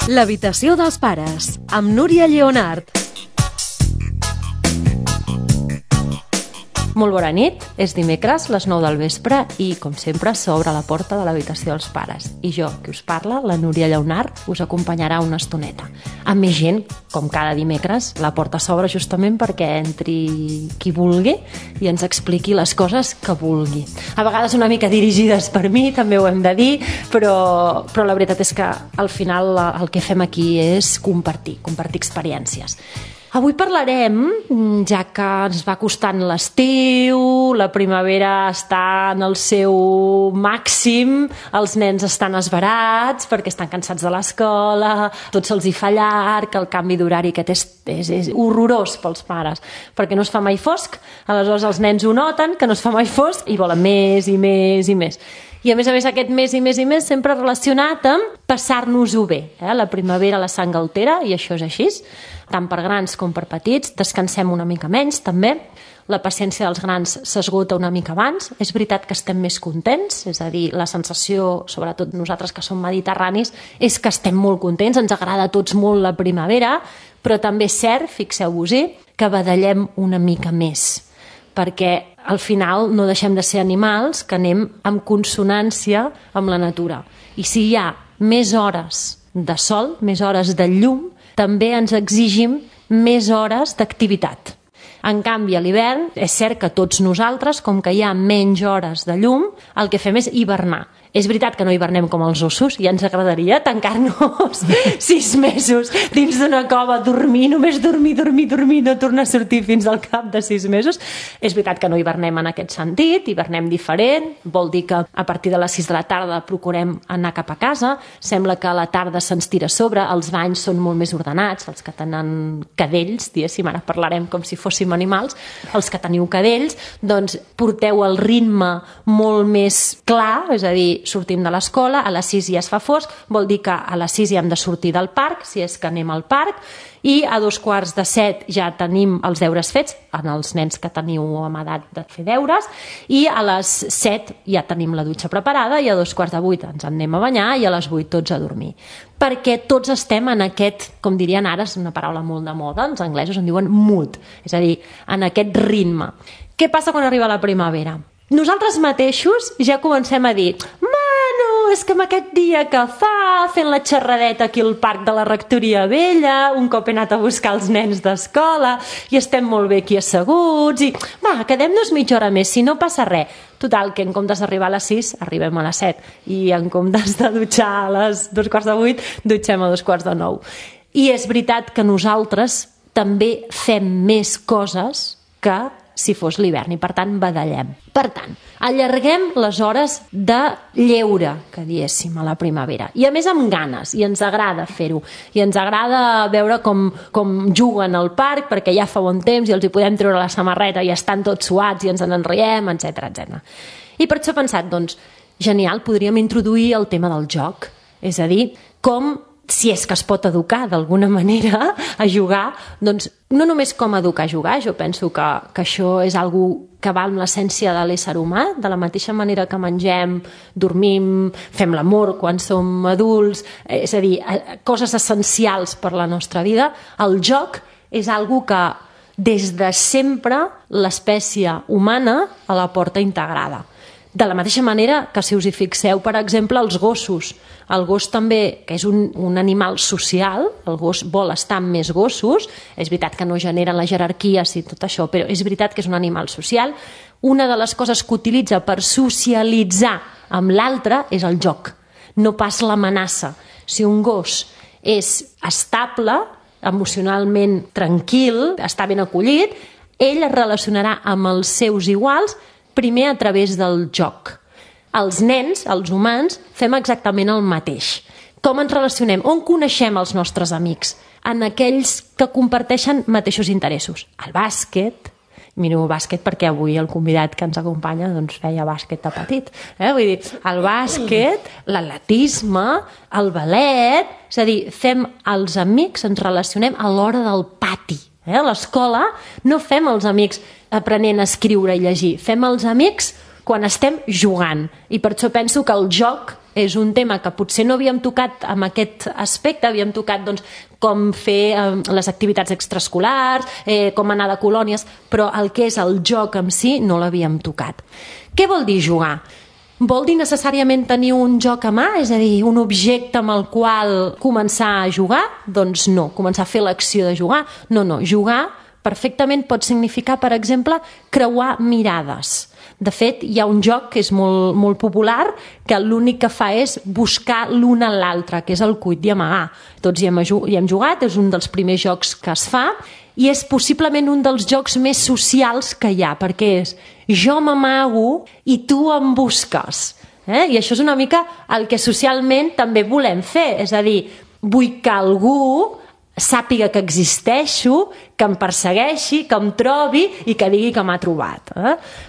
L'habitació dels pares, amb Núria Lleonart. Molt bona nit, és dimecres, les 9 del vespre i, com sempre, s'obre la porta de l'habitació dels pares. I jo, que us parla, la Núria Lleonart, us acompanyarà una estoneta. Amb més gent, com cada dimecres, la porta s'obre justament perquè entri qui vulgui i ens expliqui les coses que vulgui. A vegades una mica dirigides per mi, també ho hem de dir, però la veritat és que al final el que fem aquí és compartir experiències. Avui parlarem, ja que ens va costant l'estiu, la primavera està en el seu màxim, els nens estan esverats perquè estan cansats de l'escola, tot se'ls hi fa llarg, el canvi d'horari aquest és horrorós pels pares, perquè no es fa mai fosc, aleshores els nens ho noten, que no es fa mai fosc, i volen més i més i més. I a més aquest més i més i més sempre relacionat amb passar-nos-ho bé. La primavera la sang altera, i això és així, tant per grans com per petits, descansem una mica menys també, la paciència dels grans s'esgota una mica abans, és veritat que estem més contents, és a dir, la sensació, sobretot nosaltres que som mediterranis, és que estem molt contents, ens agrada a tots molt la primavera, però també és cert, fixeu-vos-hi, que badallem una mica més, perquè al final no deixem de ser animals que anem en consonància amb la natura. I si hi ha més hores de sol, més hores de llum, també ens exigim més hores d'activitat. En canvi, a l'hivern, és cert que tots nosaltres, com que hi ha menys hores de llum, el que fem és hivernar. És veritat que no hivernem com els ossos, ja ens agradaria tancar-nos 6 mesos dins d'una cova, dormir, només dormir, no tornar a sortir fins al cap de 6 mesos. És veritat que no hivernem en aquest sentit, hivernem diferent, vol dir que a partir de les 6 de la tarda procurem anar cap a casa, sembla que a la tarda se'ns tira a sobre, els banys són molt més ordenats, els que tenen cadells, diguéssim, ara parlarem com si fóssim animals, els que teniu cadells, doncs porteu el ritme molt més clar, és a dir, sortim de l'escola, a les 6 ja es fa fosc, vol dir que a les 6 ja hem de sortir del parc, si és que anem al parc, i a 6:45 ja tenim els deures fets, en els nens que teniu amb edat de fer deures, i a les 7 ja tenim la dutxa preparada, i a 7:45 ens anem a banyar, i a les 8 tots a dormir. Perquè tots estem en aquest, com dirien ara, és una paraula molt de moda, els anglesos en diuen mood, és a dir, en aquest ritme. Què passa quan arriba la primavera? Nosaltres mateixos ja comencem a dir és que amb aquest dia que fa, fent la xerradeta aquí al parc de la Rectoria Vella, un cop he anat a buscar els nens d'escola i estem molt bé aquí asseguts i quedem-nos mitja hora més, si no passa res. Total, que en comptes d'arribar a les 6, arribem a les 7 i en comptes de dutxar a les 7:45, dutxem a 8:45. I és veritat que nosaltres també fem més coses que si fos l'hivern i per tant badallem. Per tant, allarguem les hores de lleure, que diéssim, a la primavera. I a més amb ganes, i ens agrada fer-ho. I ens agrada veure com juguen al parc perquè ja fa bon temps i els hi podem treure la samarreta i estan tots suats i ens en riem, etc. I per això he pensat, doncs, genial, podríem introduir el tema del joc. És a dir, com si és que es pot educar d'alguna manera a jugar, doncs no només com educar a jugar, jo penso que això és algo que va amb l'essència de l'ésser humà, de la mateixa manera que mengem, dormim, fem l'amor quan som adults, és a dir, coses essencials per la nostra vida. El joc és algo que des de sempre l'espècie humana la porta integrada. De la mateixa manera que si us hi fixeu, per exemple, els gossos. El gos també, que és un animal social, el gos vol estar amb més gossos, és veritat que no generen les jerarquies i tot això, però és veritat que és un animal social. Una de les coses que utilitza per socialitzar amb l'altre és el joc, no pas l'amenaça. Si un gos és estable, emocionalment tranquil, està ben acollit, ell es relacionarà amb els seus iguals primer a través del joc. Els nens, els humans, fem exactament el mateix. Com ens relacionem? On coneixem els nostres amics? En aquells que comparteixen mateixos interessos. El bàsquet, miro bàsquet perquè avui el convidat que ens acompanya doncs feia bàsquet de petit. Vull dir, el bàsquet, l'atletisme, el ballet, és a dir, fem els amics, ens relacionem a l'hora del pati. A l'escola no fem els amics aprenent a escriure i llegir, fem els amics quan estem jugant. I per això penso que el joc és un tema que potser no havíem tocat amb aquest aspecte, havíem tocat doncs, com fer les activitats extraescolars, com anar de colònies, però el que és el joc en si no l'havíem tocat. Què vol dir jugar? Vol dir necessàriament tenir un joc a mà, és a dir, un objecte amb el qual començar a jugar? Doncs no, començar a fer l'acció de jugar. No, jugar perfectament pot significar, per exemple, creuar mirades. De fet, hi ha un joc que és molt, molt popular que l'únic que fa és buscar l'un a l'altre, que és el cuit i amagar. Tots hi hem jugat, és un dels primers jocs que es fa i és possiblement un dels jocs més socials que hi ha, perquè és jo m'amago i tu em busques. I això és una mica el que socialment també volem fer, és a dir, vull que algú sàpiga que existeixo, que em persegueixi, que em trobi i que digui que m'ha trobat.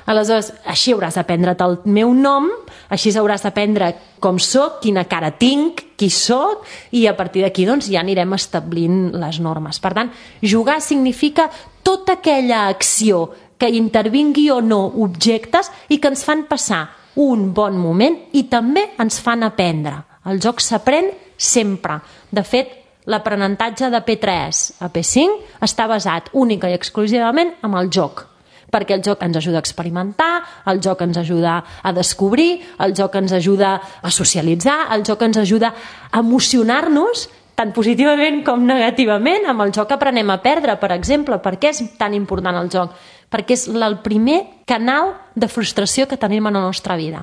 Aleshores, així hauràs d'aprendre't el meu nom, així hauràs d'aprendre com soc, quina cara tinc, qui soc, i a partir d'aquí doncs, ja anirem establint les normes. Per tant, jugar significa tota aquella acció que intervingui o no objectes i que ens fan passar un bon moment i també ens fan aprendre. El joc s'aprèn sempre. De fet, l'aprenentatge de P3 a P5 està basat única i exclusivament en el joc, perquè el joc ens ajuda a experimentar, el joc ens ajuda a descobrir, el joc ens ajuda a socialitzar, el joc ens ajuda a emocionar-nos tant positivament com negativament. Amb el joc aprenem a perdre, per exemple. Per què és tan important el joc? Perquè és el primer canal de frustració que tenim en la nostra vida.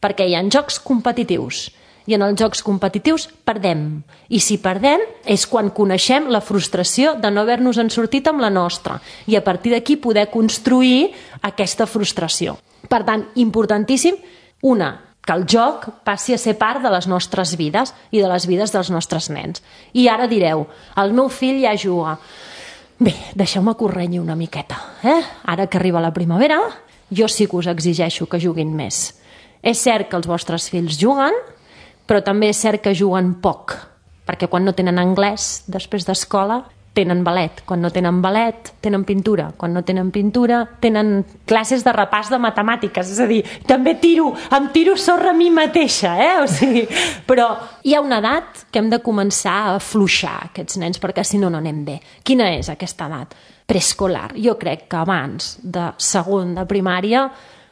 Perquè hi ha jocs competitius i en els jocs competitius perdem. I si perdem és quan coneixem la frustració de no haver-nos en sortit amb la nostra i a partir d'aquí poder construir aquesta frustració. Per tant, importantíssim, que el joc passi a ser part de les nostres vides i de les vides dels nostres nens. I ara direu, el meu fill ja juga. Bé, deixeu-me que us renyi una miqueta. Ara que arriba la primavera, jo sí que us exigeixo que juguin més. És cert que els vostres fills juguen, però també és cert que juguen poc, perquè quan no tenen anglès, després d'escola, tenen ballet. Quan no tenen ballet, tenen pintura. Quan no tenen pintura, tenen classes de repàs de matemàtiques. És a dir, també em tiro sorra a mi mateixa. Però hi ha una edat que hem de començar a afluixar aquests nens, perquè si no, no anem bé. Quina és aquesta edat? Preescolar. Jo crec que abans de segon de primària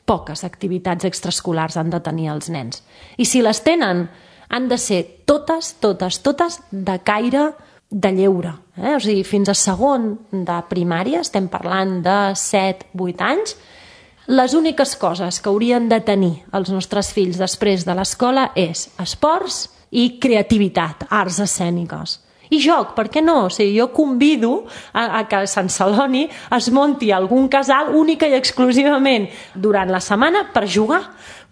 poques activitats extraescolars han de tenir els nens. I si les tenen, han de ser totes de caire de lleure. O sigui, fins a segon de primària, estem parlant de 7-8 anys, les úniques coses que haurien de tenir els nostres fills després de l'escola és esports i creativitat, arts escèniques. I joc, per què no? O sigui, jo convido a que a Sant Celoni es munti algun casal única i exclusivament durant la setmana per jugar,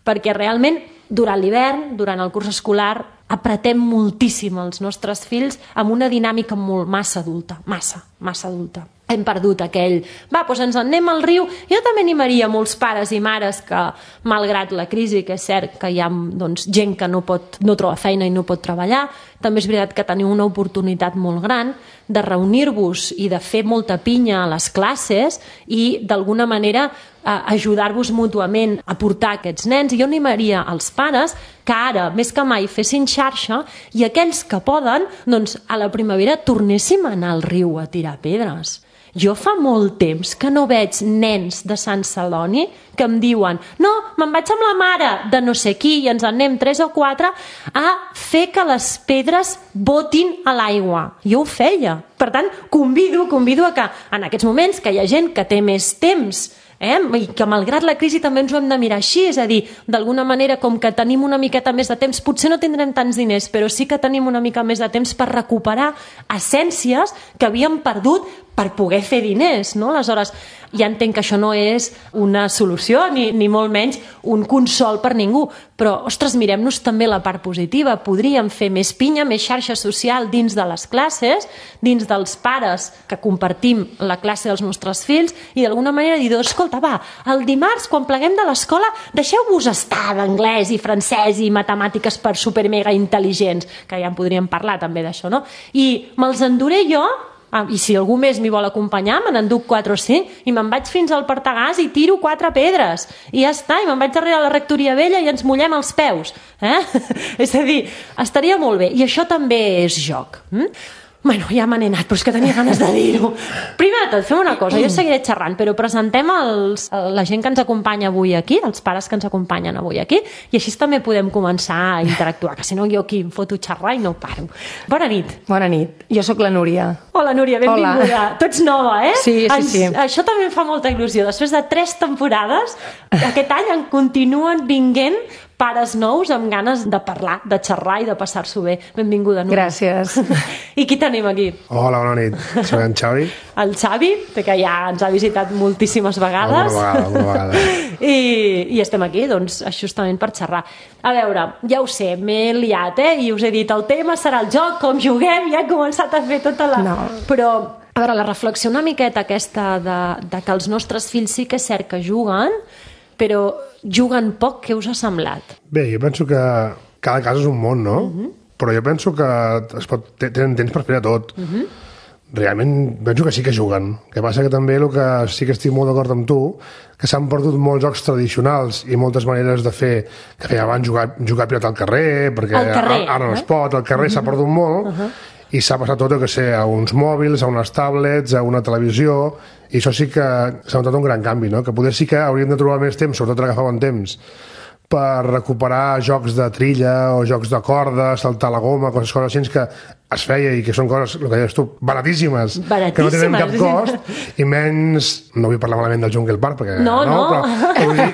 perquè realment durant l'hivern, durant el curs escolar, apretem moltíssim els nostres fills amb una dinàmica massa adulta, massa adulta. Hem perdut aquell, doncs ens en anem al riu. Jo també animaria molts pares i mares que, malgrat la crisi, que és cert que hi ha gent que no troba feina i no pot treballar, també és veritat que teniu una oportunitat molt gran de reunir-vos i de fer molta pinya a les classes i d'alguna manera ajudar-vos mútuament a portar aquests nens. I jo animaria els pares que ara, més que mai, fessin xarxa i aquells que poden, doncs a la primavera tornéssim a anar al riu a tirar pedres. Jo fa molt temps que no veig nens de Sant Celoni que em diuen no, me'n vaig amb la mare de no sé qui i ens en anem 3 o 4 a fer que les pedres botin a l'aigua. Jo ho feia. Per tant, convido a que en aquests moments que hi ha gent que té més temps i que malgrat la crisi també ens ho hem de mirar així, és a dir, d'alguna manera com que tenim una miqueta més de temps, potser no tindrem tants diners, però sí que tenim una mica més de temps per recuperar essències que havíem perdut per poder fer diners, no? Aleshores, ja entenc que això no és una solució ni molt menys un consol per ningú, però, ostres, mirem-nos també la part positiva. Podríem fer més pinya, més xarxa social dins de les classes, dins dels pares que compartim la classe dels nostres fills i d'alguna manera dir, escolta, va, el dimarts quan pleguem de l'escola deixeu-vos estar d'anglès i francès i matemàtiques per super mega intel·ligents, que ja en podríem parlar també d'això, no? I me'ls enduré jo i si algú més m'hi vol acompanyar, me n'enduc 4 o 5 i me'n vaig fins al Partagàs i tiro 4 pedres i ja està, i me'n vaig darrere la rectoria vella i ens mullem els peus, és a dir, estaria molt bé, i això també és joc. Bueno, ja me n'he anat, però és que tenia ganes de dir-ho. Primer de tot, fem una cosa, jo seguiré xerrant, però presentem la gent que ens acompanya avui aquí, els pares que ens acompanyen avui aquí, i així també podem començar a interactuar, que si no jo aquí em foto xerrar i no paro. Bona nit. Bona nit, jo sóc la Núria. Hola, Núria, benvinguda. Hola. Tu ets nova, eh? Sí. Això també em fa molta il·lusió. Després de 3 temporades, aquest any en continuen vinguent pares nous amb ganes de parlar, de xerrar i de passar-s'ho bé. Benvinguda, Núria. Gràcies. I qui tenim aquí? Hola, bona nit. Soc en Xavi. El Xavi, que ja ens ha visitat moltíssimes vegades. Alguna vegada. I estem aquí, doncs, justament per xerrar. A veure, ja ho sé, m'he liat, i us he dit, el tema serà el joc, com juguem, ja he començat a fer tota la... No. Però, a veure, la reflexió una miqueta aquesta de que els nostres fills sí que és cert que juguen, però juguen poc, què us ha semblat? Bé, jo penso que cada cas és un món, no? Però jo penso que tenen temps per fer tot. Realment penso que sí que juguen. El que passa que també el que sí que estic molt d'acord amb tu, que s'han perdut molts jocs tradicionals i moltes maneres de fer, que feia abans jugar a pilota al carrer, perquè ara no es pot, al carrer s'ha perdut molt, i s'ha passat tot, que sé, a uns mòbils, a unes tablets, a una televisió, i això sí que s'ha notat un gran canvi, no? Que poder sí que hauríem de trobar més temps, sobretot ara que fa bon temps, per recuperar jocs de trilla o jocs de corda, saltar la goma, coses així que es feia i que són coses, el que deies tu, baratíssimes, que no tenen cap cost, i menys, no vull parlar malament del Jungle Park, perquè però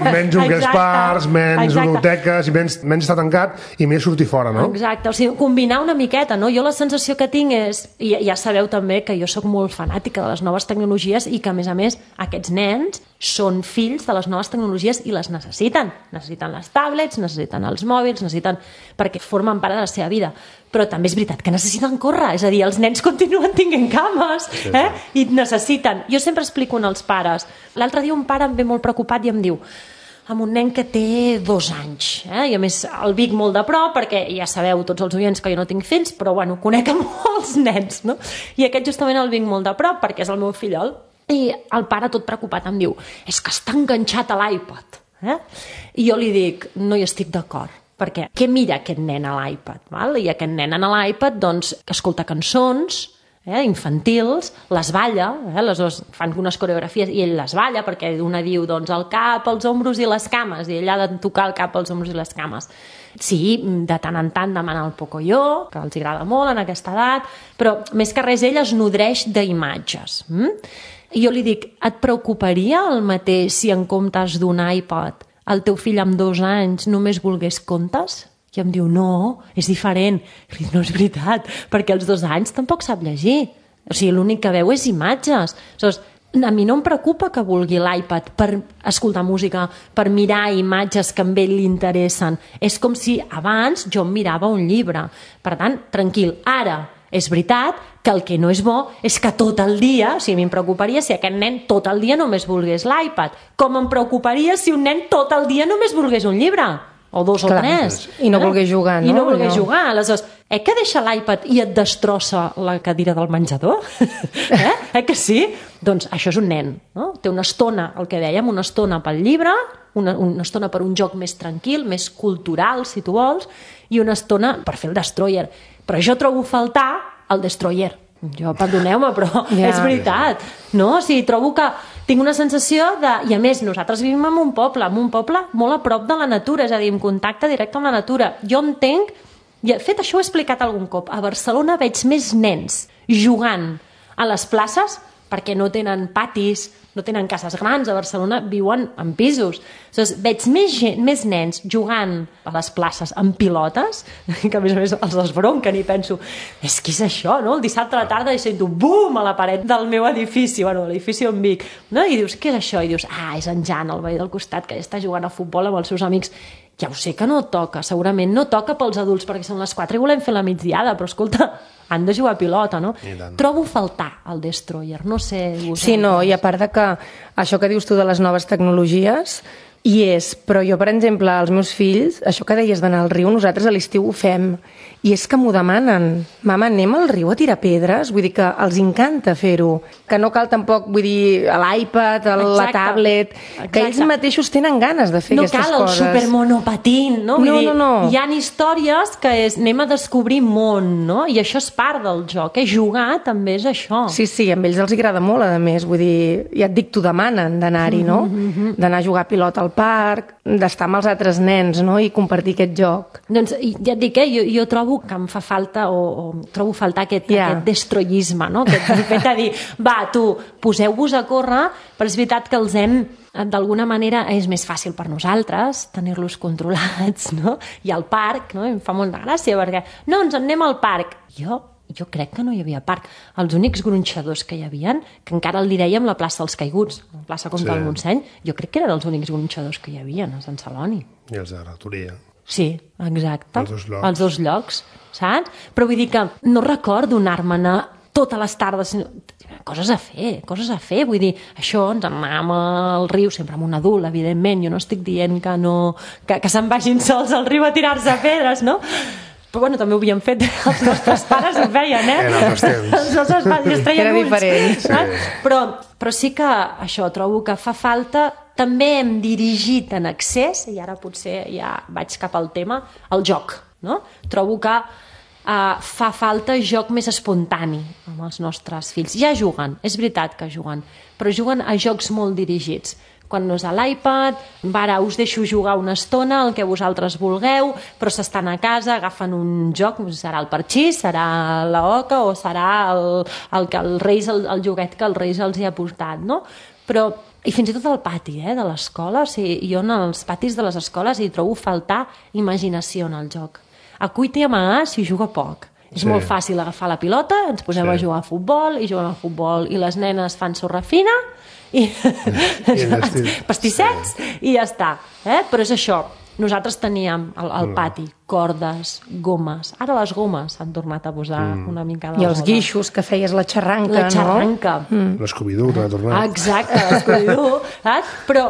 menys Jungle Parks, menys ludoteques, i menys estar tancat i més sortir fora, no? Exacte, o sigui, combinar una miqueta, no? Jo la sensació que tinc és, i ja sabeu també que jo sóc molt fanàtica de les noves tecnologies i que, a més, aquests nens són fills de les noves tecnologies i les necessiten. Necessiten les tablets, necessiten els mòbils, perquè formen part de la seva vida. Però també és veritat que necessiten córrer, és a dir, els nens continuen tenint cames, i necessiten. Jo sempre explico als pares. L'altre dia un pare em ve molt preocupat i em diu, amb un nen que té 2 anys, i a més el Vic molt de prop, perquè ja sabeu tots els oients que jo no tinc fills, però bueno, conec a molts nens, no? I aquest justament el Vic molt de prop, perquè és el meu fillol, i el pare tot preocupat em diu, és que està enganxat a l'iPad, i jo li dic, no hi estic d'acord, perquè què mira aquest nen a l'iPad? I aquest nen a l'iPad, doncs, escolta cançons infantils, les balla, les dues fan unes coreografies i ell les balla, perquè una diu doncs, el cap, els ombros i les cames, i ell ha de tocar el cap, els ombros i les cames. Sí, de tant en tant demana el Pocoyo, que els agrada molt en aquesta edat, però més que res ell es nodreix d'imatges. I jo li dic, et preocuparia el mateix si en comptes d'un iPad el teu fill amb 2 anys només volgués contes? I em diu, no, és diferent. I dic, no és veritat, perquè als 2 anys tampoc sap llegir. O sigui, l'únic que veu és imatges. Aleshores, a mi no em preocupa que vulgui l'iPad per escoltar música, per mirar imatges que a ell li interessen. És com si abans jo em mirava un llibre. Per tant, tranquil, ara és veritat que el que no és bo és que tot el dia, o sigui, a mi em preocuparia si aquest nen tot el dia només volgués l'iPad, com em preocuparia si un nen tot el dia només volgués un llibre, o 2 o 3. I no volgués jugar, no? I no volgués jugar. Aleshores, que deixa l'iPad i et destrossa la cadira del menjador? Que sí? Doncs això és un nen, no? Té una estona, el que dèiem, una estona pel llibre, una estona per un joc més tranquil, més cultural, si tu vols, i una estona per fer el Destroyer. Però jo trobo faltar el Destroyer. Jo, perdoneu-me, però és veritat. No? O sigui, trobo que tinc una sensació de... I a més, nosaltres vivim en un poble molt a prop de la natura, és a dir, en contacte directe amb la natura. Jo entenc... De fet, això ho he explicat algun cop. A Barcelona veig més nens jugant a les places perquè no tenen patis, no tenen cases grans, a Barcelona viuen en pisos. Aleshores, veig més nens jugant a les places amb pilotes, que a més els desbronquen i penso, és que és això, no? El dissabte a la tarda i sento bum a la paret del meu edifici, bueno, l'edifici on vic, no? I dius, què és això? I dius, és en Jan, el veí del costat, que ja està jugant a futbol amb els seus amics. Ja ho sé que no toca, segurament no toca pels adults perquè són les 4 i volem fer la migdiada, però escolta, han de jugar a pilota, no? Trobo faltar el Destroyer, no sé... Sí, no, i a part de que això que dius tu de les noves tecnologies, I però jo, per exemple, els meus fills, això que deies d'anar al riu, nosaltres a l'estiu ho fem, i és que m'ho demanen. Mama, anem al riu a tirar pedres? Vull dir que els encanta fer-ho. Que no cal tampoc, vull dir, l'iPad, la tablet, que ells mateixos tenen ganes de fer aquestes coses. No cal el supermonopatín, no? No. Hi ha històries que anem a descobrir món, no? I això és part del joc, jugar també és això. Sí, amb ells els agrada molt, a més, vull dir, ja et dic, t'ho demanen d'anar-hi, no? D'anar a jugar a pilota al parc, d'estar amb els altres nens, no? I compartir aquest joc. Doncs ja et dic, jo trobo que em fa falta o trobo faltar aquest destroyisme, no? Aquest fet de dir, va, tu, poseu-vos a córrer, però és veritat que els hem, d'alguna manera, és més fàcil per nosaltres tenir-los controlats, no? I al parc, no? Em fa molta gràcia, perquè, no, ens en anem al parc. Jo crec que no hi havia parc. Els únics gronxadors que hi havia, que encara li dèiem la plaça dels Caiguts, la plaça Comte del Montseny, jo crec que eren els únics gronxadors que hi havia a Sant Celoni. I els de Rectoria. Sí, exacte. Els dos llocs, saps? Però vull dir que no recordo anar-me'n totes les tardes, coses a fer, vull dir, això, ens anàvem al riu, sempre amb un adult, evidentment, jo no estic dient que se'n vagin sols al riu a tirar-se pedres, no? Però bueno, també ho havíem fet, els nostres pares ho feien, En altres temps. Els nostres pares es treien Era diferent. Sí. Però sí que això, trobo que fa falta, també hem dirigit en excés, i ara potser ja vaig cap al tema, el joc, no? Trobo que fa falta joc més espontani amb els nostres fills. Ja juguen, és veritat que juguen, però juguen a jocs molt dirigits. Quan no és a l'iPad, ara us deixo jugar una estona, el que vosaltres vulgueu, però s'estan a casa, agafen un joc, serà el parxís, serà la oca o serà el joguet que el Reis els hi ha portat, no? Però, i fins i tot al pati de l'escola, jo en els patis de les escoles hi trobo faltar imaginació en el joc. A cuita i amagar s'hi juga poc. És molt fàcil agafar la pilota, ens posem a jugar a futbol, i juguem a futbol, i les nenes fan sorra fina, i pastissets, i ja està. Però és això, nosaltres teníem al pati cordes, gomes. Ara les gomes s'han tornat a posar una mica de moda. I els guixos que feies la xarranca, no? L'Scooby-Doo que ha tornat. Exacte, l'Scooby-Doo. Però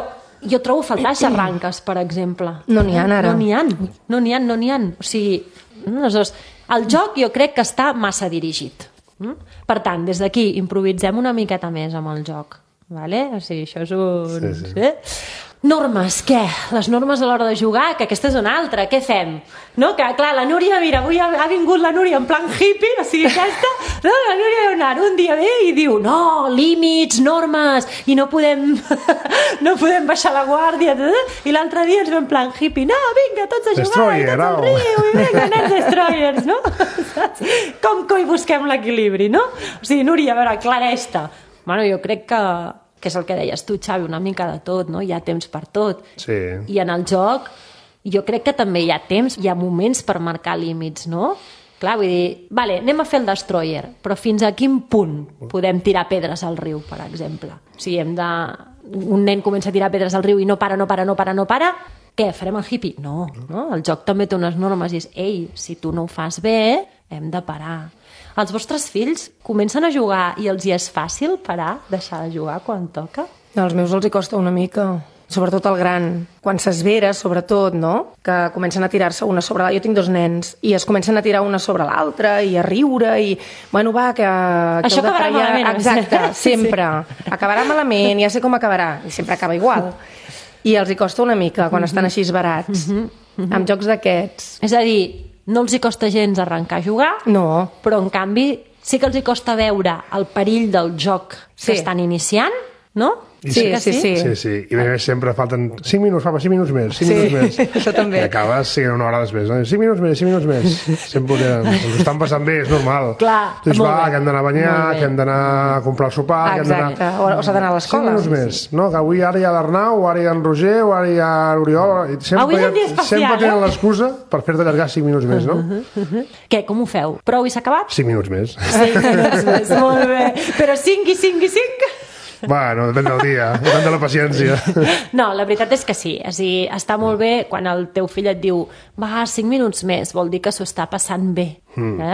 jo trobo faltar xarranques, per exemple. No n'hi ha ara. No n'hi ha. O sigui, el joc jo crec que està massa dirigit. Per tant, des d'aquí improvisem una miqueta més amb el joc. Vale? O sigui, això és un... Sí. Normes, què? Les normes a l'hora de jugar, que aquesta és una altra, què fem? No? Que, clar, la Núria, mira, avui ha vingut la Núria en plan hippie, o sigui, aquesta, no? La Núria Leonard un dia ve i diu, no, límits, normes, i no podem baixar la guàrdia, i l'altre dia ens ve en plan hippie, no, vinga, tots a jugar, i tots al riu, i vinga, nens destroyers, no? Com hi busquem l'equilibri, no? O sigui, Núria, a veure, aclareix-te. Bueno, jo crec que és el que deies tu, Xavi, una mica de tot, no? Hi ha temps per tot. Sí. I en el joc jo crec que també hi ha temps, hi ha moments per marcar límits, no? Clar, vull dir, vale, anem a fer el destroyer, però fins a quin punt podem tirar pedres al riu, per exemple? O sigui, un nen comença a tirar pedres al riu i no para, què, farem el hippie? No. El joc també té unes normes i és, ei, si tu no ho fas bé, hem de parar. Els vostres fills comencen a jugar i els hi és fàcil parar, deixar de jugar quan toca? Als meus els hi costa una mica, sobretot el gran. Quan s'esvera, sobretot, no? Que comencen a tirar-se una sobre l'altra. Jo tinc 2 nens i es comencen a tirar una sobre l'altra i a riure i, bueno, va, que això acabarà malament. Exacte, sempre. Sí. Acabarà malament, ja sé com acabarà. I sempre acaba igual. I els hi costa una mica quan estan així esverats. Amb jocs d'aquests. És a dir, no els hi costa gens arrencar a jugar, no. Però en canvi sí que els hi costa veure el perill del joc que estan iniciant, no? Sí. I a més sempre falten 5 minuts, papa, 5 minuts més, 5 minuts més. Això també. I acabes siguent una hora després, no? 5 minuts més. Sempre ens estan passant bé, és normal. Clar, doncs va, que hem d'anar a banyar, que hem d'anar a comprar el sopar, que hem d'anar... O s'ha d'anar a l'escola. 5 minuts més, no? Que avui ara hi ha l'Arnau, ara hi ha en Roger, o ara hi ha l'Oriol... Avui és un dia especial, sempre tenen l'excusa per fer-te allargar 5 minuts més, no? Què, com ho feu? Prou i s'ha acabat? 5 minuts més. 5 minuts més, molt bé. Però 5 i 5 i 5... Bueno, depèn del dia, depèn de la paciència. No, la veritat és que sí. És a dir, està molt bé quan el teu fill et diu va, 5 minuts més, vol dir que s'ho està passant bé.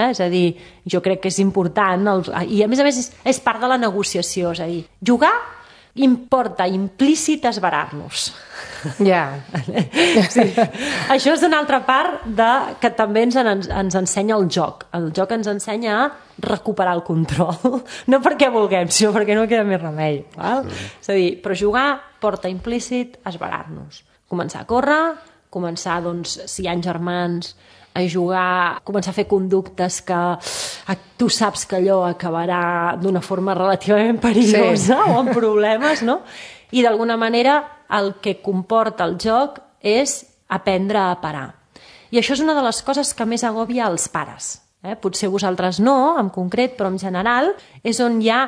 És a dir, jo crec que és important. I a més és part de la negociació. És a dir, jugar importa implícit esverar-nos. Ja. Sí. Això és una altra part que també ens ensenya el joc. El joc ens ensenya a recuperar el control. No perquè vulguem, sinó perquè no queda més remei. Val? És a dir, però jugar porta implícit esverar-nos. Començar a córrer, començar, doncs, si hi ha germans, a jugar, començar a fer conductes que tu saps que allò acabarà d'una forma relativament perillosa o amb problemes, no? I d'alguna manera el que comporta el joc és aprendre a parar. I això és una de les coses que més agòbia els pares. Potser vosaltres no, en concret, però en general és on hi ha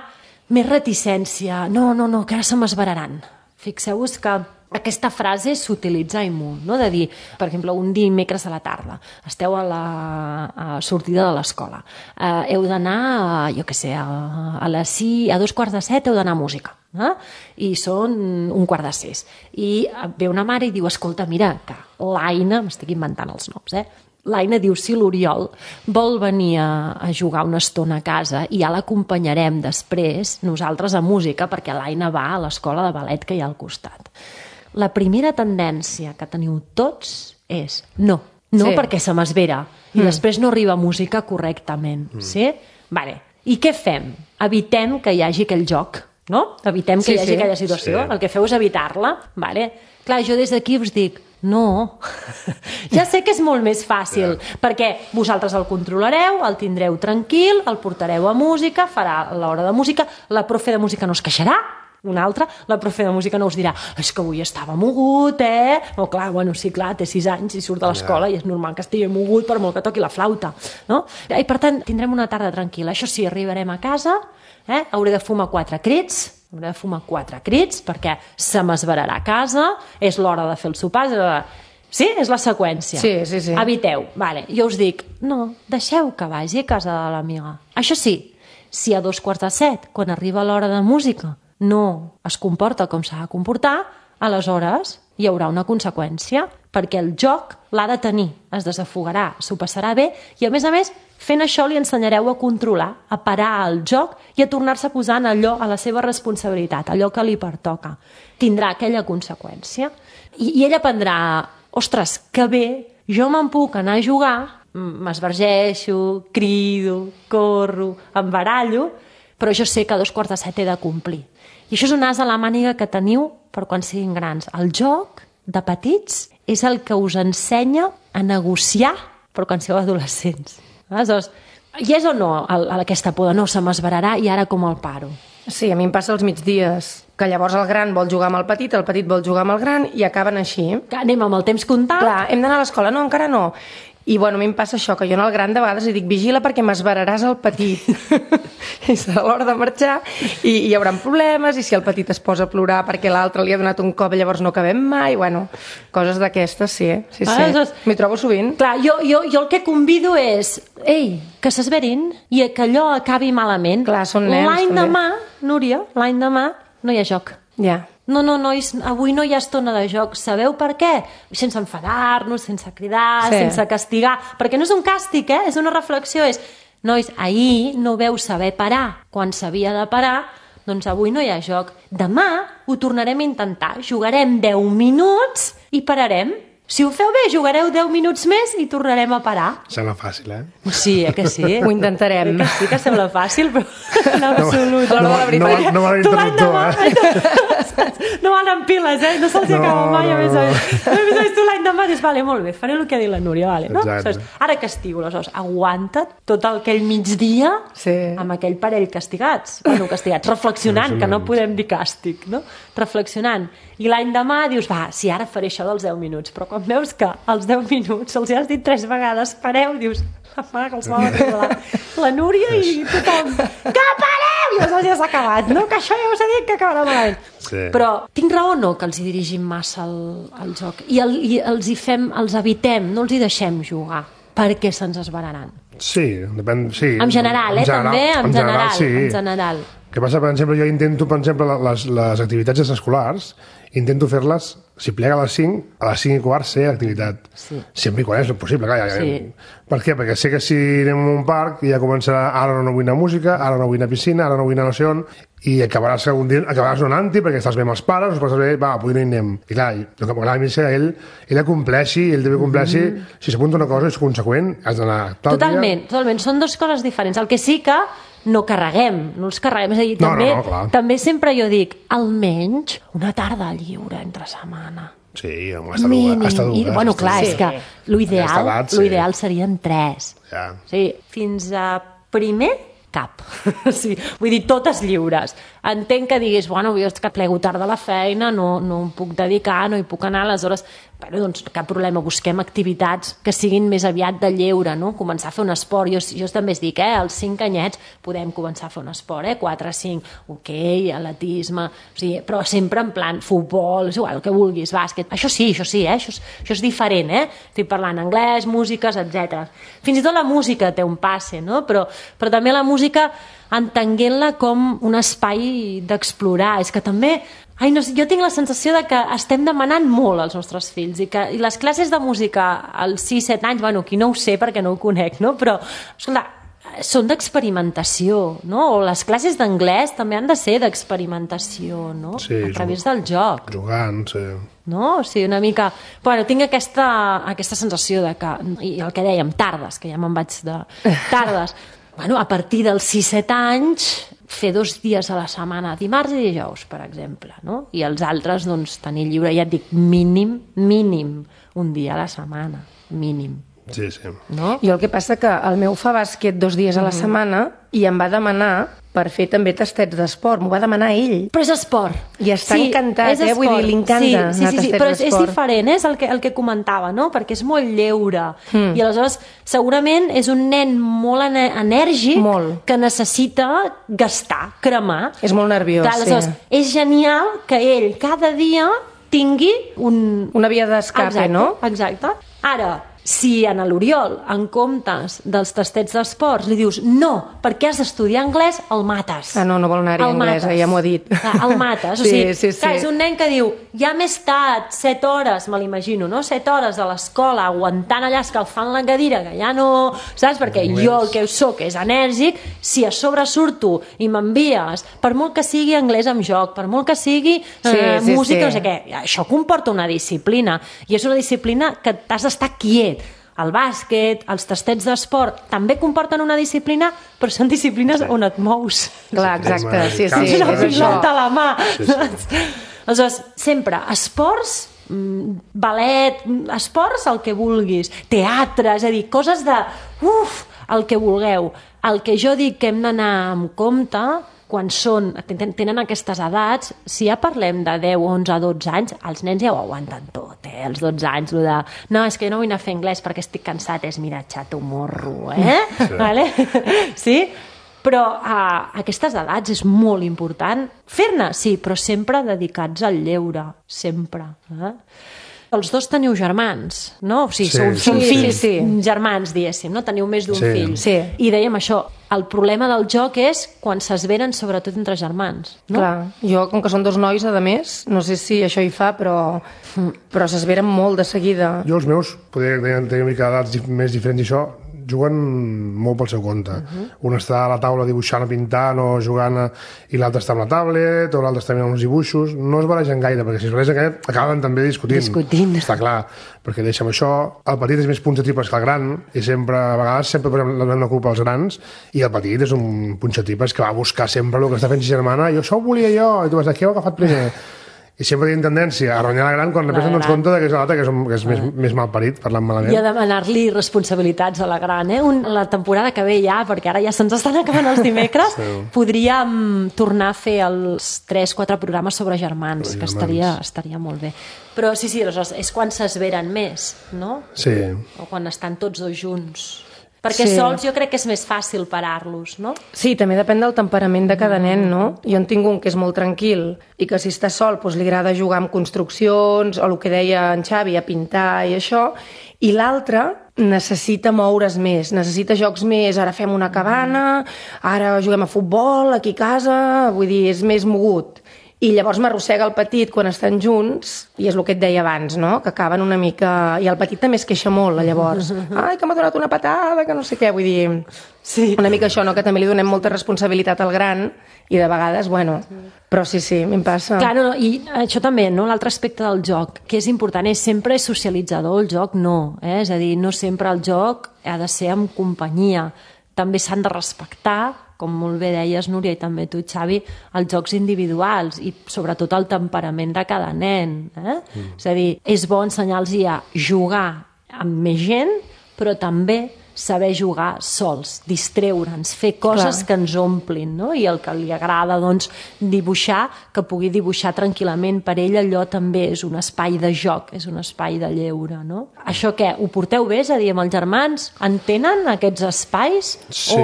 més reticència. No, que ara se m'esveraran. Fixeu-vos que aquesta frase s'utilitza i molt, no? De dir, per exemple, un dimecres a la tarda, esteu a la sortida de l'escola, heu d'anar, jo què sé, a 2:45 heu d'anar a música, i són 5:45. I ve una mare i diu, escolta, mira, que l'Aina, m'estic inventant els noms, l'Aina diu, si l'Oriol vol venir a jugar una estona a casa i ja l'acompanyarem després, nosaltres a música, perquè l'Aina va a l'escola de ballet que hi ha al costat. La primera tendència que teniu tots és no, perquè se m'esvera i després no arriba música correctament. Sí? Vale. I què fem? Evitem que hi hagi aquell joc, no? Evitem que hi hagi aquella situació. El que feu és evitar-la. Vale. Clar, jo des d'aquí us dic, no, ja sé que és molt més fàcil, perquè vosaltres el controlareu, el tindreu tranquil, el portareu a música, farà l'hora de música, la profe de música no es queixarà, una altra, la profe de música no us dirà és que avui estava mogut, o clar, bueno, sí, clar, té 6 anys i surt de l'escola i és normal que estigui mogut per molt que toqui la flauta, no? I per tant, tindrem una tarda tranquil·la. Això sí, arribarem a casa, hauré de fumar 4 crits, perquè se m'esverarà a casa, és l'hora de fer el sopar, sí? És la seqüència. Sí. Eviteu. Vale. Jo us dic, no, deixeu que vagi a casa de l'amiga. Això sí, si a 6:45, quan arriba l'hora de música, no es comporta com s'ha de comportar, aleshores hi haurà una conseqüència, perquè el joc l'ha de tenir, es desafogarà, s'ho passarà bé, i a més, fent això li ensenyareu a controlar, a parar el joc i a tornar-se a posar en allò, a la seva responsabilitat, allò que li pertoca. Tindrà aquella conseqüència. I ell aprendrà, ostres, que bé, jo me'n puc anar a jugar, m'esvergeixo, crido, corro, em barallo, però jo sé que a 6:45 he de complir. I això és un as a la màniga que teniu per quan siguin grans. El joc de petits és el que us ensenya a negociar per quan sigueu adolescents. Aleshores, hi és o no aquesta por de no, se m'esverarà i ara com el paro? Sí, a mi em passa els migdies, que llavors el gran vol jugar amb el petit vol jugar amb el gran i acaben així. Que anem amb el temps comptat. Clar, hem d'anar a l'escola, no, encara no. I bueno, a mi em passa això, que jo al gran de vegades li dic, vigila perquè m'esveraràs el petit. I serà l'hora de marxar i hi haurà problemes, i si el petit es posa a plorar perquè l'altre li ha donat un cop, llavors no acabem mai, bueno, coses d'aquestes, sí. M'hi trobo sovint. Clar, jo el que convido és, que s'esverin i que allò acabi malament. Clar, són nens, l'any demà, Núria, l'any demà no hi ha joc. Ja. No, nois, avui no hi ha estona de joc. Sabeu per què? Sense enfadar-nos, sense cridar, sense castigar. Perquè no és un càstig, és una reflexió. És, nois, ahir no veu saber parar quan s'havia de parar, doncs avui no hi ha joc. Demà ho tornarem a intentar. Jugarem 10 minuts i pararem. Si ho feu bé, jugareu 10 minuts més i tornarem a parar. Sembla fàcil, Sí, que sí? Ho intentarem. Que sí que sembla fàcil, però en absolut. No va l'interruptor, No van en piles, no se'ls acaba mai, a més a més. Tu l'any demà dius, vale, molt bé, faré el que ha dit la Núria, vale, no? Ara castigo, aleshores, aguanta't tot aquell migdia amb aquell parell castigats, reflexionant, que no podem dir càstig, no? Reflexionant. I l'any demà dius, va, si ara faré això dels 10 minuts, però quan veus que els 10 minuts els has dit 3 vegades, pareu, dius, que els va arribar la Núria i tothom, que pareu! I aleshores ja s'ha acabat, no? Que això ja us he dit que acabarà malament. Però tinc raó o no que els hi dirigim massa el joc? I els evitem, no els hi deixem jugar, perquè se'ns esveraran. Sí, depèn, sí. En general, també? En general. El que passa, per exemple, jo intento, per exemple, les activitats escolars, intento fer-les, si plega a les 5, a les 5:15 ser activitat. Sempre i quan és possible, clar. Per què? Perquè sé que si anem a un parc ja començarà, ara no vull anar a música, ara no vull anar a piscina, ara no vull anar a no sé on, i acabaràs donant-hi perquè estàs bé amb els pares, després estàs bé, va, avui no hi anem. I clar, el que m'agrada a mi és que ell compleixi, ell també compleixi, si s'apunta una cosa és conseqüent, has d'anar tal dia... Totalment, són dues coses diferents. El que sí que no els carreguem, és a dir, també sempre jo dic, almenys una tarda lliure entre setmana. Sí, hasta dues. Bueno, clar, és que l'ideal serien 3. Sí, fins a primer, cap. Sí, vull dir, totes lliures. Entenc que diguis, bueno, jo és que plego tard de la feina, no em puc dedicar, no hi puc anar, aleshores, bueno, doncs cap problema, busquem activitats que siguin més aviat de lleure, no? Començar a fer un esport. Jo també es dic, als 5 anyets podem començar a fer un esport, 4 a 5, hoquei, atletisme, o sigui, però sempre en plan futbol, és igual, el que vulguis, bàsquet. Això sí, això és diferent, Estic parlant anglès, músiques, etc. Fins i tot la música té un passe, no? Però també la música entenguent-la com un espai d'explorar. És que també... jo tinc la sensació de que estem demanant molt als nostres fills i les classes de música als 6-7 anys, bueno, aquí no ho sé perquè no ho conec, no? Però, escolta, són d'experimentació, no? O les classes d'anglès també han de ser d'experimentació, no? Sí, a través del joc. Jugant, sí. No? O sigui, una mica... Bueno, tinc aquesta sensació de que... I el que dèiem, tardes, que ja me'n vaig de... Tardes. Bueno, a partir dels 6-7 anys, fer 2 dies a la setmana, dimarts i dijous, per exemple, no? I els altres, doncs, tenir lliure, ja et dic, mínim, un dia a la setmana, mínim. Sí. No? Jo el que passa que el meu fa bàsquet 2 dies a la setmana i em va demanar per fer també tastets d'esport, m'ho va demanar ell. Però és esport. I està encantat, vull dir, li encanta anar a tastets d'esport. Però és diferent, és el que comentava, no? Perquè és molt lleure. I aleshores, segurament és un nen molt enèrgic que necessita gastar, cremar. És molt nerviós, aleshores, és genial que ell cada dia tingui una via d'escape, no? Exacte. Ara, si a l'Oriol, en comptes dels tastets d'esports, li dius no, perquè has d'estudiar anglès, el mates. No vol anar-hi a anglès, ja m'ho ha dit. El mates. O sigui, clar, és un nen que diu, ja m'he estat 7 hores, me l'imagino, no? 7 hores a l'escola aguantant allà, escalfant la cadira, que ja no... Saps? Perquè jo el que soc és enèrgic, si a sobre surto i m'envies, per molt que sigui anglès amb joc, per molt que sigui música, no sé què, això comporta una disciplina, i és una disciplina que t'has d'estar quiet. El bàsquet, els tastets d'esport també comporten una disciplina, però són disciplines on et mous. Clar, exacte, sí. Tens una pilota a la mà. Aleshores, sempre, esports, ballet, esports, el que vulguis, teatre, és a dir, coses de, el que vulgueu. El que jo dic que hem d'anar amb compte quan tenen aquestes edats, si ja parlem de 10, 11, 12 anys, els nens ja ho aguanten tot, els 12 anys, de, no, és que jo no vull anar a fer anglès perquè estic cansat, és mira, xato morro, Sí. Vale? Sí? Però a aquestes edats és molt important fer-ne, sí, però sempre dedicats al lleure, sempre. Els dos teniu germans, no? O sigui, són fills germans, diguéssim, no? Teniu més d'un fill. Sí. I dèiem això, el problema del joc és quan s'esveren sobretot entre germans, no? Clar, jo, com que són 2 nois, a més, no sé si això hi fa, però s'esveren molt de seguida. Jo els meus, podria tenir una mica d'edats més diferents i això, juguen molt pel seu compte. Un està a la taula dibuixant o pintant o jugant i l'altre està amb la tablet o l'altre està mirant uns dibuixos. No es barregen gaire, perquè si es barregen gaire acaben també discutint. Està clar, perquè deixa'm això. El petit és més punxatipes que el gran i a vegades posem la culpa als grans i el petit és un punxatipes que va a buscar sempre el que està fent sa germana i això ho volia jo, i tu vas dir, què heu agafat primer? I sempre tenim tendència a renyar la gran quan després ens compte que és l'altre que és més malparit, parlant malament. I a demanar-li responsabilitats a la gran. La temporada que ve ja, perquè ara ja se'ns estan acabant els dimecres, podríem tornar a fer els 3-4 programes sobre germans, que estaria molt bé. Però sí, aleshores, és quan s'esveren més, no? Sí. O quan estan tots dos junts. Perquè sols jo crec que és més fàcil parar-los, no? Sí, també depèn del temperament de cada nen, no? Jo en tinc un que és molt tranquil i que si està sol doncs li agrada jugar amb construccions o el que deia en Xavi, a pintar i això, i l'altre necessita moure's més, necessita jocs més, ara fem una cabana, ara juguem a futbol aquí a casa, vull dir, és més mogut. I llavors m'arrossega el petit quan estan junts, i és el que et deia abans, no? Que acaben una mica... I el petit també es queixa molt, llavors. Ai, que m'ha donat una patada, que no sé què. Vull dir, Sí. una mica això, no? Que també li donem molta responsabilitat al gran, i de vegades, bueno... Però sí, a mi em passa. Clar, no, i això també, no? L'altre aspecte del joc, que és important, és sempre és socialitzador, el joc no. És a dir, no sempre el joc ha de ser amb companyia. També s'han de respectar, com molt bé deies, Núria, i també tu, Xavi, els jocs individuals i sobretot el temperament de cada nen. És a dir, és bo ensenyar-los a jugar amb més gent, però també saber jugar sols, distreure'ns, fer coses que ens omplin, no? I el que li agrada, doncs, dibuixar, que pugui dibuixar tranquil·lament. Per ell allò també és un espai de joc, és un espai de lleure, no? Això què? Ho porteu bé? És a dir, amb els germans entenen aquests espais? Sí.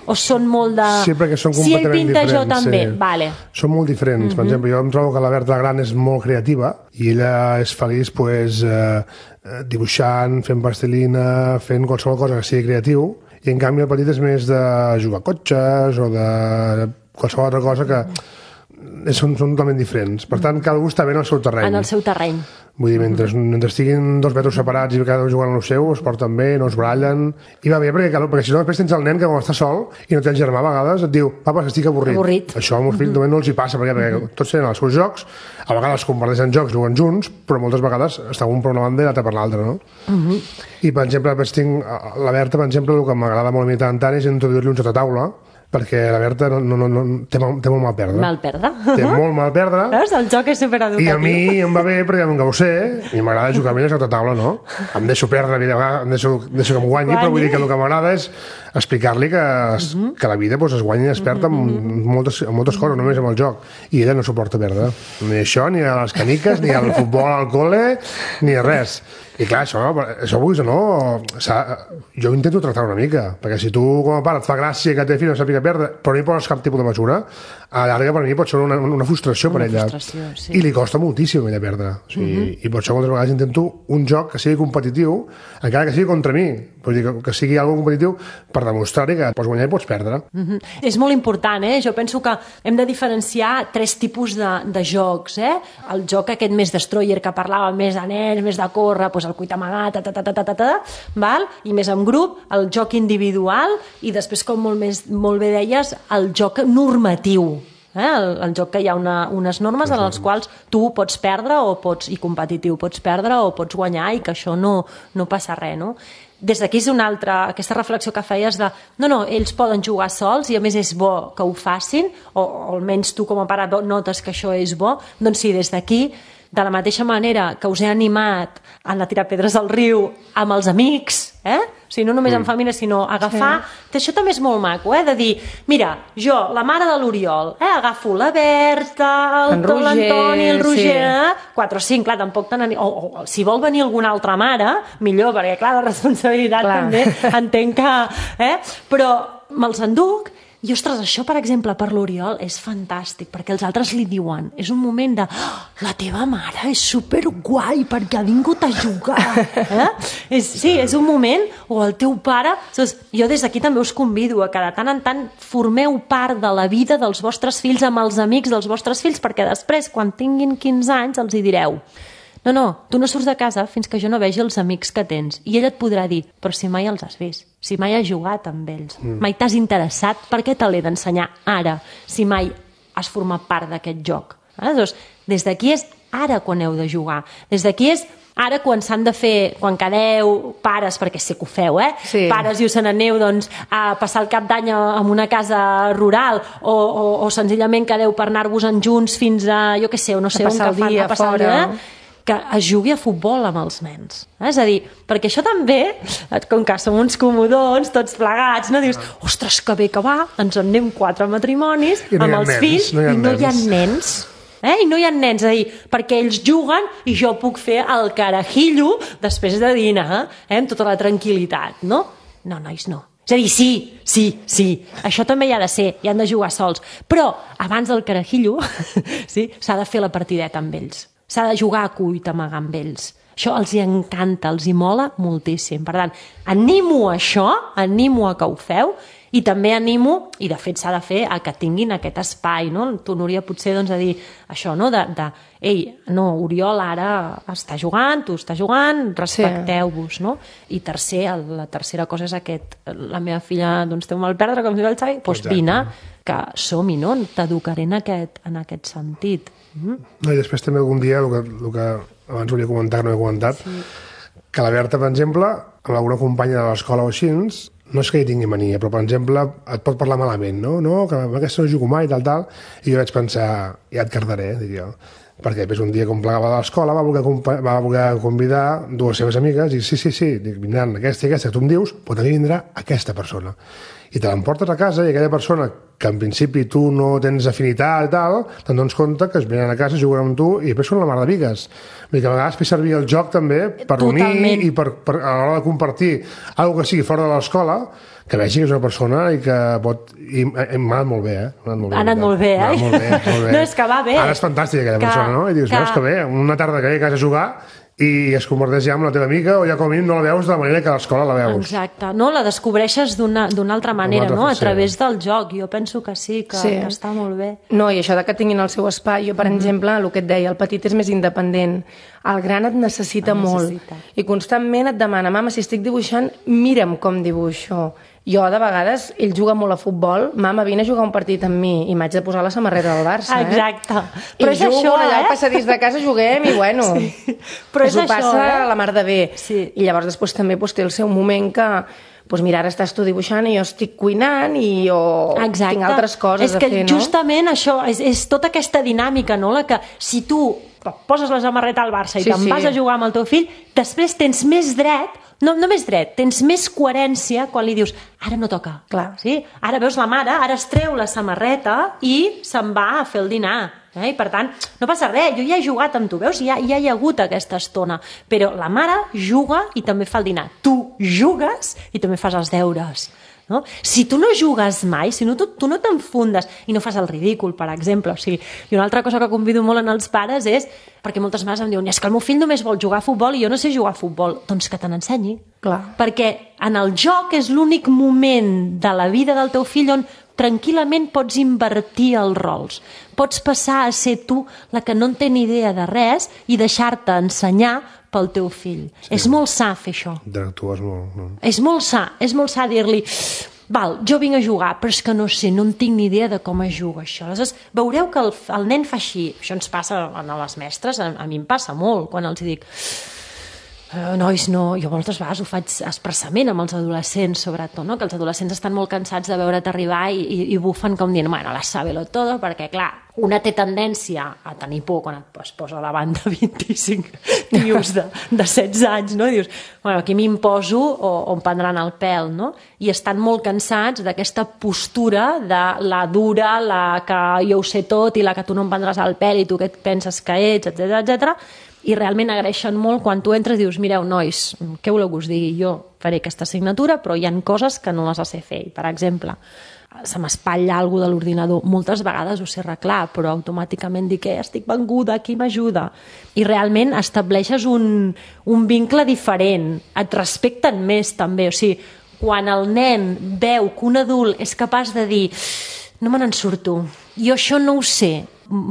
O són molt de... Sí, perquè són si ell completament pinta, jo diferents, també. sí. Vale. Són molt diferents. Per exemple, jo em trobo que la Berta gran és molt creativa i ella és feliç pues, dibuixant, fent plastilina, fent qualsevol cosa que sigui creatiu, i en canvi el petit és més de jugar a cotxes o de qualsevol altra cosa que són totalment diferents. Per tant, cada un està bé en el seu terreny. En el seu terreny. Vull dir, mentre estiguin 2 metres separats i cada un jugant al seu, es porten bé, no es barallen... I va bé, perquè si no, després tens el nen que quan està sol i no té el germà, a vegades et diu papa, estic avorrit. Això als meus fills no els hi passa, perquè tots tenen els seus jocs, a vegades comparteixen jocs, juguen junts, però moltes vegades està un per una banda i l'altre per l'altra, no? I, per exemple, tinc la Berta, per exemple, el que m'agrada molt a mi tant és introduir-li un joc a taula, perquè la Berta té molt mal perdre. Mal perdre. Té molt mal perdre. Veus? El joc és supereducatiu. I a mi em va bé perquè em ho sé i m'agrada jugar a mi a la taula, no? Em deixo perdre, em deixo que em guanyi, però vull dir que el que m'agrada és explicar-li que la vida es guanya i es perd amb moltes coses, només amb el joc. I ella no suporta perdre. Ni això, ni a les caniques, ni al futbol al col·le, ni a res. I clar, això vulguis o no, jo intento tractar una mica, perquè si tu com a pare et fa gràcia que té fill no sàpiga perdre, però no hi poses cap tipus de mesura, a la llarga per mi pot ser una frustració per ella. Sí. I li costa moltíssim a ella perdre. O sigui, i per això moltes vegades intento un joc que sigui competitiu, encara que sigui contra mi, vull dir, que sigui algo competitiu per demostrar-li que pots guanyar i pots perdre. És molt important, Jo penso que hem de diferenciar 3 tipus de jocs, El joc aquest més destroyer que parlava, més de nens, més de córrer, doncs el cuit amagat, val? I més en grup, el joc individual i després, com molt bé deies, el joc normatiu. El joc que hi ha unes normes en les quals tu pots perdre i competitiu, pots perdre o pots guanyar i que això no passa res, no? Des d'aquí és una altra, aquesta reflexió que feies de no, ells poden jugar sols i a més és bo que ho facin, o almenys tu com a pare notes que això és bo, doncs sí, des d'aquí, de la mateixa manera que us he animat a anar a tirar pedres al riu amb els amics, o sigui, no només en família, sinó agafar... Sí. Això també és molt maco, de dir, mira, jo, la mare de l'Oriol, agafo la Berta, l'Antoni, el Roger, 4 o 5, clar, tampoc tant... O si vol venir alguna altra mare, millor, perquè, clar, la responsabilitat també entenc que... Però me'ls enduc. I, ostres, això, per exemple, per l'Oriol és fantàstic, perquè els altres li diuen, és un moment de, la teva mare és superguai perquè ha vingut a jugar. Sí, és un moment, o el teu pare... Jo des d'aquí també us convido a que de tant en tant formeu part de la vida dels vostres fills amb els amics dels vostres fills, perquè després, quan tinguin 15 anys, els hi direu, no, tu no surts de casa fins que jo no vegi els amics que tens. I ell et podrà dir, però si mai els has vist, si mai has jugat amb ells, mai t'has interessat, per què te l'he d'ensenyar ara, si mai has format part d'aquest joc? Doncs des d'aquí és ara quan heu de jugar. Des d'aquí és ara quan s'han de fer, quan quedeu pares, perquè sé que ho feu, Sí. Pares i us n'aneu doncs, a passar el cap d'any en una casa rural o senzillament quedeu per anar-vos-en junts fins a, jo què sé, o no sé, passar el dia fora. Que es jugui a futbol amb els nens. És a dir, perquè això també, com que som uns comodons, tots plegats, no? Dius, ostres, que bé que va, ens en anem 4 matrimonis amb els fills i no hi ha nens. I no hi ha nens, és a dir, perquè ells juguen i jo puc fer el carajillo després de dinar, amb tota la tranquil·litat, no? No, nois, no. És a dir, sí, això també hi ha de ser, hi han de jugar sols. Però abans del carajillo s'ha de fer la partideta amb ells. S'ha de jugar a cuit amagar amb ells. Això els hi encanta, els hi mola moltíssim. Per tant, animo a això, animo a que ho feu, i també animo, i de fet s'ha de fer, a que tinguin aquest espai, no? Tu, Núria, potser doncs, a dir això, no? Ei, no, Oriol ara està jugant, tu estàs jugant, respecteu-vos, no? I la tercera cosa és la meva filla doncs, té un mal perdre, com diu el Xavi, doncs vine, que som-hi, no? T'educaré en aquest sentit. No, i després també algun dia, el que abans volia comentar, que no he comentat, que la Berta, per exemple, amb alguna companya de l'escola o així, no és que hi tingui mania, però, per exemple, et pot parlar malament, no? No, que amb aquesta no jugo mai, tal, i jo vaig pensar, ja et cardaré, dic jo. Perquè després un dia, com plegava de l'escola, va voler convidar dues seves amigues, i sí, dic, vindran aquesta i aquesta, que tu em dius, però també vindrà aquesta persona. I te l'emportes a casa i aquella persona que en principi tu no tens afinitat i tal, te'n dones compte que es venen a casa, juguen amb tu i després són la mar de bigues. Vull dir que a vegades fer servir el joc també per unir i per a l'hora de compartir alguna que sigui fora de l'escola, que vegi que és una persona i que pot... I m'ha anat molt bé, Ha anat molt bé, eh? Molt bé. No, és que va bé. Ara és fantàstica aquella persona, no? I dius, veus que bé, una tarda que ve a casa a jugar i es converteix ja en la teva amiga o ja com a mínim no la veus de la manera que a l'escola la veus. Exacte, no? La descobreixes d'una altra manera, no? A través del joc. Jo penso que sí, que està molt bé. No, i això de que tinguin el seu espai, jo, per exemple, el que et deia, el petit és més independent, el gran et necessita molt. I constantment et demana, mama, si estic dibuixant, mira'm com dibuixo. Jo, de vegades, ell juga molt a futbol, mama, vine a jugar un partit amb mi, i m'haig de posar la samarreta del Barça, Exacte. Però és jugo, això, allà al passadís de casa juguem, i bueno, però és ho passa la mar de bé. I llavors després també té el seu moment que... Doncs mira, ara estàs tu dibuixant i jo estic cuinant i jo tinc altres coses a fer, no? És que justament això, és tota aquesta dinàmica, no? La que si tu poses la samarreta al Barça i te'n vas a jugar amb el teu fill, després tens més dret, no més dret, tens més coherència quan li dius, ara no toca. Clar. Sí? Ara veus la mare, ara es treu la samarreta i se'n va a fer el dinar. I per tant, no passa res, jo ja he jugat amb tu, veus? Ja hi ha hagut aquesta estona, però la mare juga i també fa el dinar, tu jugues i també fas els deures, no? Si tu no jugues mai, si no, tu no t'enfundes i no fas el ridícul, per exemple, o sigui, i una altra cosa que convido molt en els pares és, perquè moltes mares em diuen, és que el meu fill només vol jugar a futbol i jo no sé jugar a futbol, doncs que te n'ensenyi. Clar. Perquè en el joc és l'únic moment de la vida del teu fill on tranquil·lament pots invertir els rols. Pots passar a ser tu la que no en té ni idea de res i deixar-te ensenyar pel teu fill. És molt sa fer això. Interactues molt. No? És molt sa dir-li, val, jo vinc a jugar, però és que no sé, no en tinc ni idea de com es juga això. Aleshores, veureu que el nen fa així. Això ens passa a les mestres, a mi em passa molt, quan els dic... nois, no, jo moltes vegades ho faig expressament amb els adolescents, sobretot, no? Que els adolescents estan molt cansats de veure't arribar i bufen com dient, bueno, la sábelo todo, perquè, clar, una té tendència a tenir por quan es posa davant de 25 tios de 16 anys, no? I dius, bueno, aquí m'imposo o em prendran el pèl, no? I estan molt cansats d'aquesta postura de la dura, la que jo ho sé tot i la que tu no em prendràs el pèl i tu què et penses que ets, etc. I realment agraeixen molt quan tu entres i dius, mireu, nois, què voleu que us digui? Jo faré aquesta assignatura, però hi ha coses que no les sé fer. Per exemple, se m'espatlla alguna cosa de l'ordinador. Moltes vegades ho sé arreglar, però automàticament dic, estic venguda, qui m'ajuda? I realment estableixes un vincle diferent. Et respecten més, també. O sigui, quan el nen veu que un adult és capaç de dir, no me n'en surto, jo això no ho sé,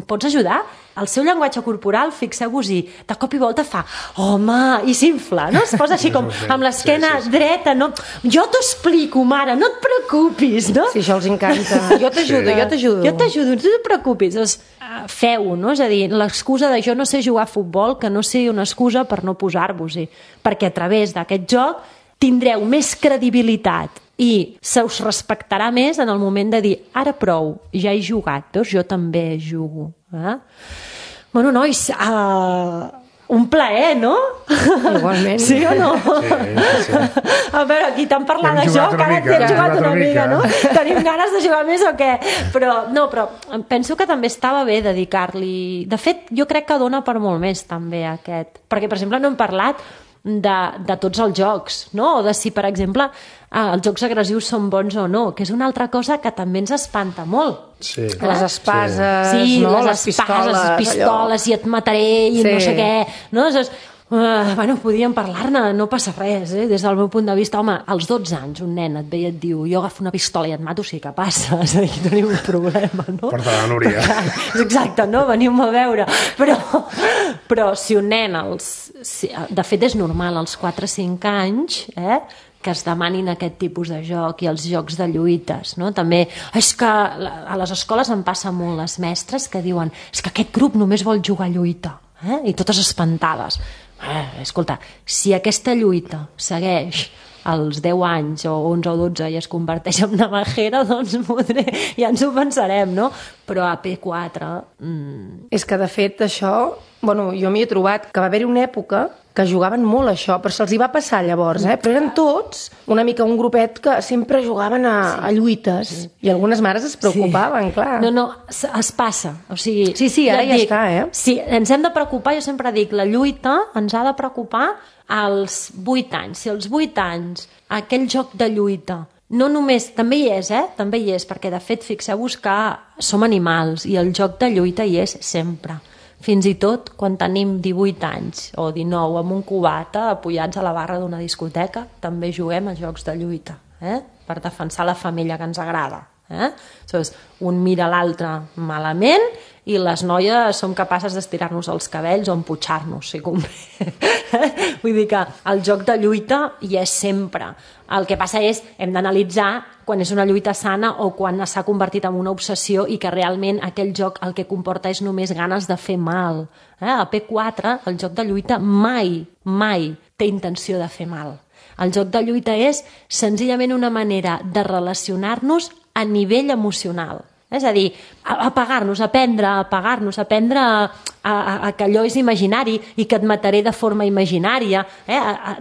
pots ajudar? El seu llenguatge corporal, fixeu-vos-hi, de cop i volta fa, home, i s'infla, no? Es posa així com amb l'esquena dreta, no? Jo t'ho explico, mare, no et preocupis, no? Sí, això els encanta. Jo t'ajudo. Jo t'ajudo, no et preocupis. Doncs feu-ho, no? És a dir, l'excusa de jo no sé jugar a futbol, que no sigui una excusa per no posar-vos-hi, perquè a través d'aquest joc tindreu més credibilitat i se us respectarà més en el moment de dir, ara prou, ja he jugat, veus? Jo també jugo. Bueno, nois, un plaer, no? Igualment. Sí o no? Sí. A veure, aquí t'han parlat de joc, ara t'hi has jugat una mica, no? Tenim ganes de jugar més o què? Però penso que també estava bé dedicar-li... De fet, jo crec que dona per molt més, també, aquest. Perquè, per exemple, no hem parlat de tots els jocs, no? O de si, per exemple, els jocs agressius són bons o no, que és una altra cosa que també ens espanta molt. Sí. Les espases, sí, no? Les pistoles, i et mataré i no sé què. No? Bueno, podíem parlar-ne, no passa res, des del meu punt de vista. Home, als 12 anys un nen et ve i et diu jo agafo una pistola i et mato, sí que passa, és a dir, tenim un problema, no? Porta la Núria. Exacte, no? Veniu-me a veure. Però si un nen, de fet és normal, als 4 o 5 anys, que es demanin aquest tipus de joc i els jocs de lluites, no? També és que a les escoles em passa molt les mestres que diuen és que aquest grup només vol jugar a lluita, i totes espantades. Escolta, si aquesta lluita segueix als 10 anys o 11 o 12 i es converteix en navajera, doncs ja ens ho pensarem, no? Però a P4... És que, de fet, això... Bueno, jo m'hi he trobat que va haver-hi una època que jugaven molt a això, però se'ls hi va passar llavors, però eren tots una mica un grupet que sempre jugaven a lluites, i algunes mares es preocupaven, clar. No, es passa, o sigui... Sí, ara ja està, Sí, ens hem de preocupar, jo sempre dic, la lluita ens ha de preocupar als 8 anys. Si als 8 anys aquell joc de lluita no només, també hi és, també hi és, perquè de fet fixeu-vos que som animals i el joc de lluita hi és sempre. Fins i tot quan tenim 18 anys o 19 amb un cubata apoyats a la barra d'una discoteca, també juguem a jocs de lluita, per defensar la família que ens agrada. Llavors, un mira l'altre malament i les noies som capaces d'estirar-nos els cabells o emputxar-nos, si convé. Vull dir que el joc de lluita hi és sempre. El que passa és, hem d'analitzar quan és una lluita sana o quan s'ha convertit en una obsessió i que realment aquell joc el que comporta és només ganes de fer mal. A P4 el joc de lluita mai té intenció de fer mal. El joc de lluita és senzillament una manera de relacionar-nos a nivell emocional. És a dir, apagar-nos, aprendre a que allò és imaginari i que et mataré de forma imaginària,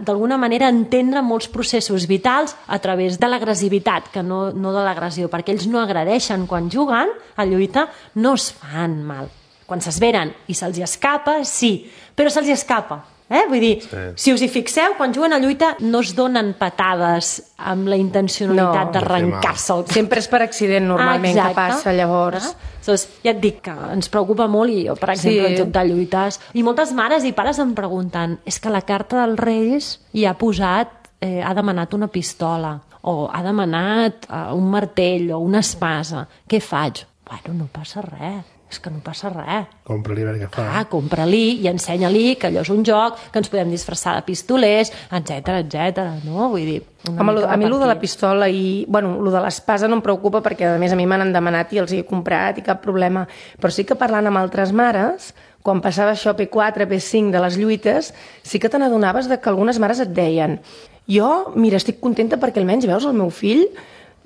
d'alguna manera entendre molts processos vitals a través de l'agressivitat, que no de l'agressió, perquè ells no agredeixen quan juguen a lluita, no es fan mal. Quan s'esveren i se'ls escapa, sí, però se'ls escapa. Vull dir, si us hi fixeu, quan juguen a lluita no es donen patades amb la intencionalitat d'arrencar-se. Sempre és per accident normalment que passa llavors. Ja et dic que ens preocupa molt i jo, per exemple, el joc de lluites. I moltes mares i pares em pregunten és que la carta dels Reis hi ha posat, ha demanat una pistola o ha demanat un martell o una espasa. Què faig? Bueno, no passa res. És que no passa res. Compra-li a veure què fa. Compra-li i ensenya-li que allò és un joc, que ens podem disfressar de pistolers, etc. No? Vull dir... A mi el de la pistola i... Bueno, el de l'espasa no em preocupa perquè, a més, a mi m'han demanat i els he comprat i cap problema. Però sí que parlant amb altres mares, quan passava això P4, P5 de les lluites, sí que te n'adonaves que algunes mares et deien jo, mira, estic contenta perquè almenys, veus, el meu fill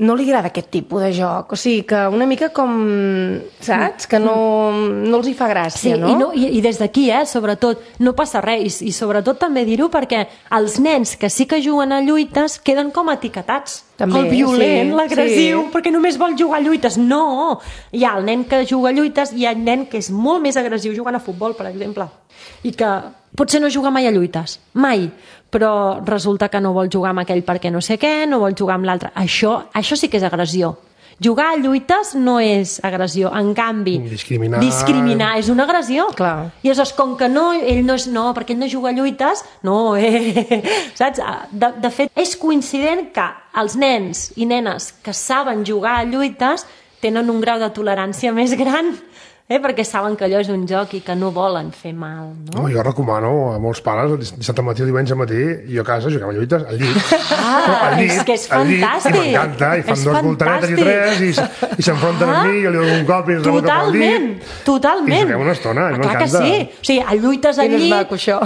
no li agrada aquest tipus de joc. O sigui, que una mica com, saps? Que no els hi fa gràcia, no? I des d'aquí, sobretot, no passa res. I sobretot també dir-ho perquè els nens que sí que juguen a lluites queden com etiquetats. També, el violent, l'agressiu, perquè només vol jugar a lluites. No! Hi ha el nen que juga a lluites i hi ha el nen que és molt més agressiu jugant a futbol, per exemple. I que potser no juga mai a lluites. Mai. Però resulta que no vol jugar amb aquell perquè no sé què, no vol jugar amb l'altre. Això sí que és agressió. Jugar a lluites no és agressió. En canvi, discriminar és una agressió. Clar. I aleshores, com que ell no és... No, perquè ell no juga a lluites, no, saps? De fet, és coincident que els nens i nenes que saben jugar a lluites tenen un grau de tolerància més gran, perquè saben que allò és un joc i que no volen fer mal, no? Jo recomano a molts pares, dissabte matí o diumenge matí, jo a casa juguem a lluites al llit. És que és fantàstic. I m'encanta, i fan dos voltaretes i tres, i s'enfronten amb mi, jo li dono un cop i es rebota pel dit. Totalment. I juguem una estona, i m'encanta. Clar que sí. O sigui, a lluites al llit...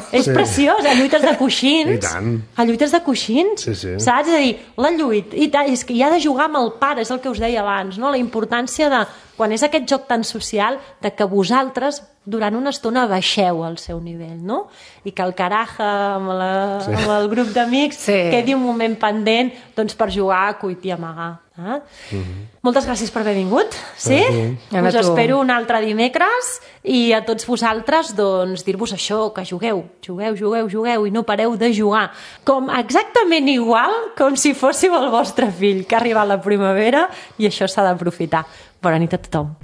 És preciós, a lluites de coixins. I tant. A lluites de coixins. Sí. Saps? És a dir, la lluita... És que hi ha de jugar amb el pare, és el que us deia abans, no? La importància de... Quan és aquest joc tan social, de que vosaltres durant una estona baixeu al seu nivell, no? I que el caraja amb el grup d'amics quedi un moment pendent doncs, per jugar a cuit i amagar. Moltes gràcies per haver vingut. Sí? Us espero un altre dimecres i a tots vosaltres doncs, dir-vos això, que jugueu i no pareu de jugar. Com exactament igual com si fóssiu el vostre fill, que ha arribat la primavera i això s'ha d'aprofitar. Bona nit a tothom.